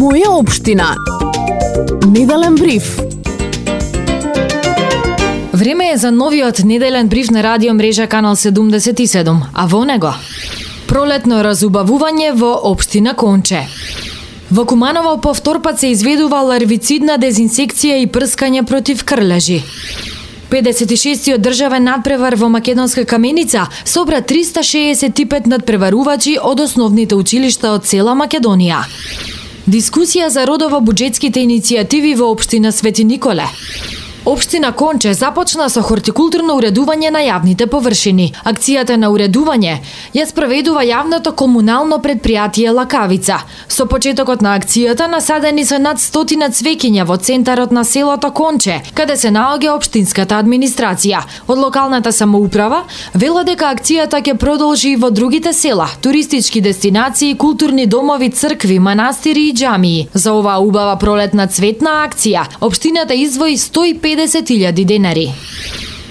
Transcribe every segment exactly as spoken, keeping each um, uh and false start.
Моја општина. Неделен бриф. Време е за новиот неделен бриф на радио мрежа Канал седумдесет и седум, а во него пролетно разубавување во општина Конче. Во Куманово повторпат се изведува ларвицидна дезинсекција и прскање против крлежи. педесет и шестиот државен надпревар во Македонска Каменица собра триста шеесет и пет надпреварувачи од основните училишта од цела Македонија. Дискусија за родово буџетските иницијативи во општина Свети Николе. Општина Конче започна со хортикултурно уредување на јавните површини. Акцијата на уредување ја спроведува јавното комунално предпријатие Лакавица. Со почетокот на акцијата насадени се над стотина цвеќиња во центарот на селото Конче, каде се наоѓа општинската администрација. Од локалната самоуправа велат дека акцијата ќе продолжи и во другите села, туристички дестинации, културни домови, цркви, манастири и џамии. За оваа убава пролетна цветна акција општината издвои сто и педесет илјади денари.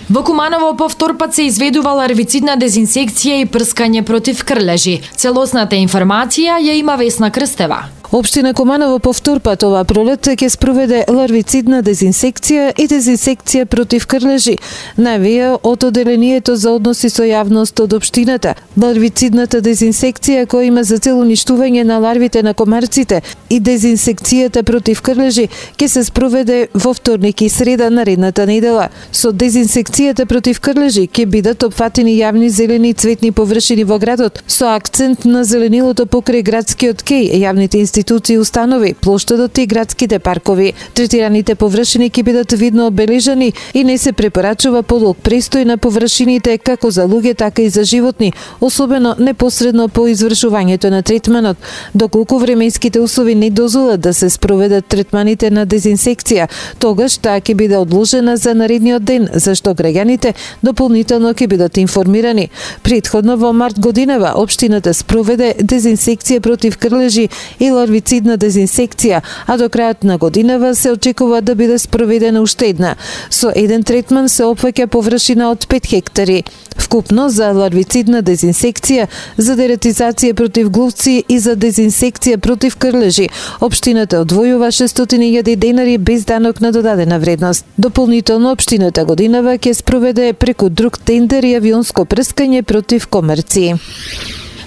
Во Куманово повторпат се изведува ларвицидна дезинсекција и прскање против крлежи. Целосната информација ја има Весна Крстева. Општина Куманово повторпат ова пролет ќе спроведе ларвицидна дезинсекција и дезинсекција против крлежи, навија од Оделението за односи со јавност од општината. Ларвицидната дезинсекција која има за цел уништување на ларвите на комарците и дезинсекцијата против крлежи ќе се спроведе во вторник и среда наредната недела. Со дезинсекцијата против крлежи ќе бидат опфатени јавни зелени и цветни површини во градот, со акцент на зеленилото покрај градскиот кеј, јавните институции институции и установи, плоштадот и градските паркови. Третираните површини ќе бидат видно обележани и не се препорачува подолг престој на површините како за луѓе, така и за животни, особено непосредно по извршувањето на третманот. Доколку временските услови не дозволат да се спроведат третманите на дезинсекција, тогаш таа ќе биде одложена за наредниот ден, зашто граѓаните дополнително ќе бидат информирани. Претходно во март годинава општината спроведе дезинсекција против крлежи и ларвицидна дезинсекција, а до крајот на годинава се очекува да биде спроведена уште една. Со еден третман се опфаќа површина од пет хектари. Вкупно за ларвицидна дезинсекција, за дератизација против глувци и за дезинсекција против крлежи, општината одвојува шестстотини илјади денари без данок на додадена вредност. Дополнително општината годинава ќе спроведе преку друг тендер и авионско прскање против комарци.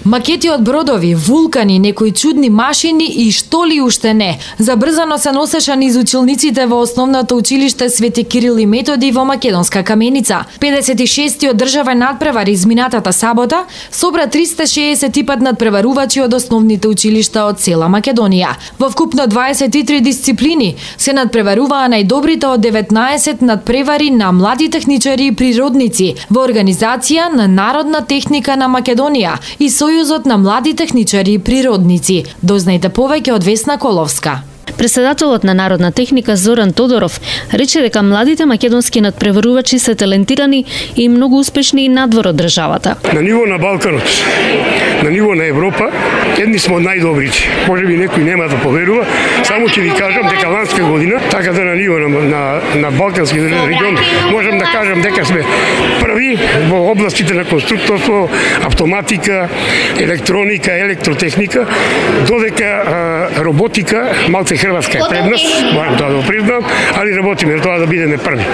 Макети од бродови, вулкани, некои чудни машини и што ли уште не. Забрзано се носеша низ училниците во основното училиште Свети Кирил и Методи во Македонска Каменица. педесет и шестиот државен надпревар изминатата сабота собра триста шеесет и пет надпреварувачи од основните училишта од цела Македонија. Во вкупно дваесет и три дисциплини се надпреваруваа најдобрите од деветнаесет надпревари на млади техничари и природници во организација на Народна техника на Македонија и Сојузот на млади техничари и природници. Дознајте повеќе од Весна Коловска. Преседателот на Народна техника Зоран Тодоров рече дека младите македонски надпреварувачи се талентирани и многу успешни и надвор од државата. На ниво на Балканот, на ниво на Европа, едни сме од најдобрите. Може би некој нема да поверува, само ќе ви кажам дека ланска година, така да на ниво на, на, на Балкански регион, можам да кажам дека сме први во областите на конструкторство, автоматика, електроника, електротехника, додека а, роботика, малце Хрватска е пред нас, морам тоа да го признам, али работиме тоа да бидеме први.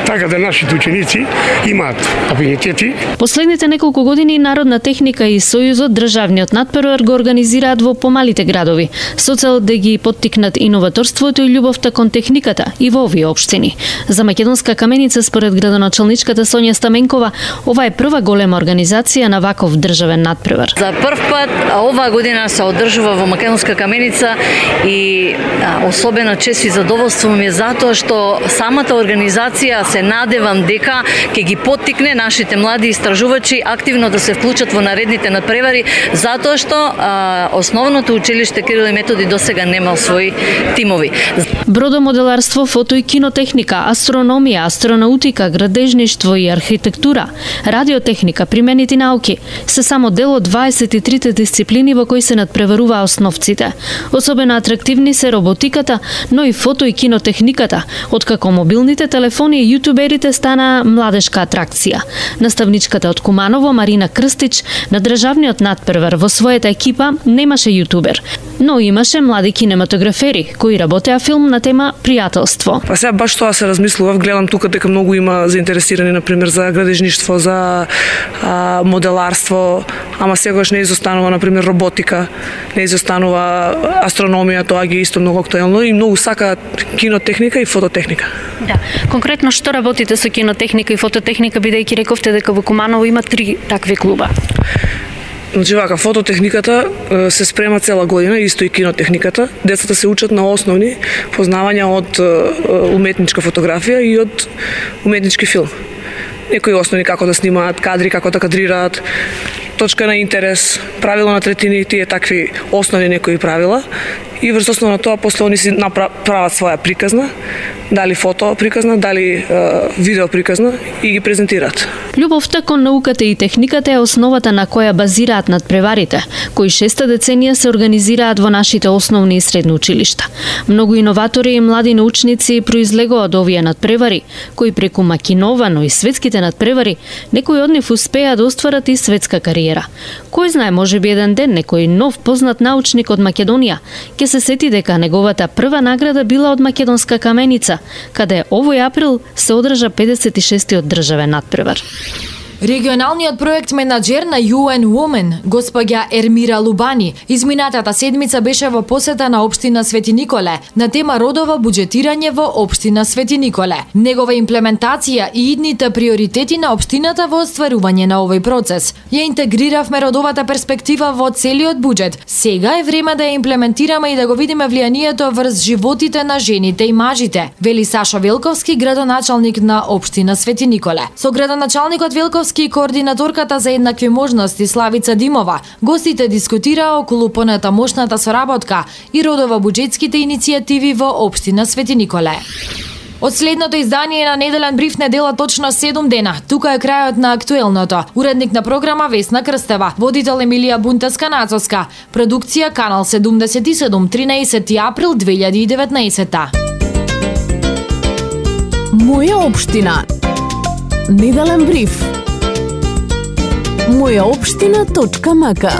Така да нашите ученици имаат афинитети. Последните неколку години Народна техника и Сојузот државниот надпревар го организираат во помалите градови, со цел да ги поттикнат иноваторството и љубовта кон техниката и во овие општини. За Македонска Каменица, според градоначалничката Сонја Стаменкова, ова е прва голема организација на ваков државен надпревар. За прв пат оваа година се одржува во Македонска Каменица и а, особено чест и задоволство ми е затоа што самата организација се надевам дека ќе ги поттикне нашите млади истражувачи активно да се вклучат во наредните надпревари, затоа што а, основното училиште Кирил и Методи досега немал своји тимови. Бродомоделарство, фото и кинотехника, астрономија, астронаутика, градежништво и архитектура, радиотехника, применети науки се само дел од дваесет и трите дисциплини во кои се надпреваруваа основците. Особено атрактивни се робот роботиката, но и фото и кинотехниката, откако мобилните телефони и јутуберите стана младешка атракција. Наставничката од Куманово Марина Крстич на државниот надпревар во својата екипа немаше јутубер, но имаше млади кинематографери кои работеа филм на тема пријателство. Па сега баш тоа се размислував, гледам тука дека многу има заинтересирани на пример за градежништво, за а, моделарство, ама сегаш не изостанува на пример роботика, не изостанува астрономија, тоа ги исто многу актуелно и многу сакаат кинотехника и фототехника. Да. Конкретно што работите со кинотехника и фототехника, бидејќи рековте дека во Куманово има три такви клуба? Значи вака, фототехниката се спрема цела година, исто и кинотехниката. Децата се учат на основни познавања од уметничка фотографија и од уметнички филм. Некои основни како да снимаат кадри, како да кадрираат, точка на интерес, правило на третини, тие такви основни некои правила. И врз основа на тоа после они си направат своја приказна, дали фото приказна, дали е, видео приказна и ги презентираат. Љубовта кон науката и техниката е основата на која базираат надпреварите, кои шеста деценија се организираат во нашите основни и средни училишта. Многу иноватори и млади научници произлегоа од овие надпревари, кои преку Макинова, но и светските надпревари, некои од нив успеа да остварат и светска кариера. Кој знае, можеби еден ден некој нов познат научник од Македонија ќе се сети дека неговата прва награда била од македонска каменица, каде овој април се одржа педесет и шестиот државен надпревар. Регионалниот проект менаџер на ю ен Women, госпоѓа Ермира Лубани, изминатата седмица беше во посета на општина Свети Николе на тема родово буџетирање во општина Свети Николе. Негова имплементација и идните приоритети на општината во остварување на овој процес. Ја интегриравме родовата перспектива во целиот буџет. Сега е време да ја имплементираме и да го видиме влијанието врз животите на жените и мажите, вели Сашо Велковски, градоначалник на општина Свети Николе. Со градоначалникот Велковски и координаторката за еднакви можности Славица Димова, гостите дискутираа околу понатамошната соработка и родово буџетските иницијативи во општина Свети Николе. Од следното издание на Неделен бриф не дела точно седум дена. Тука е крајот на актуелното. Уредник на програма Весна Крстева, водител Емилија Бунтеска-Нацовска, продукција Канал седумдесет и седум, тринаесети април две илјади и деветнаесета. Моја општина. Неделен бриф. моја општина точка мака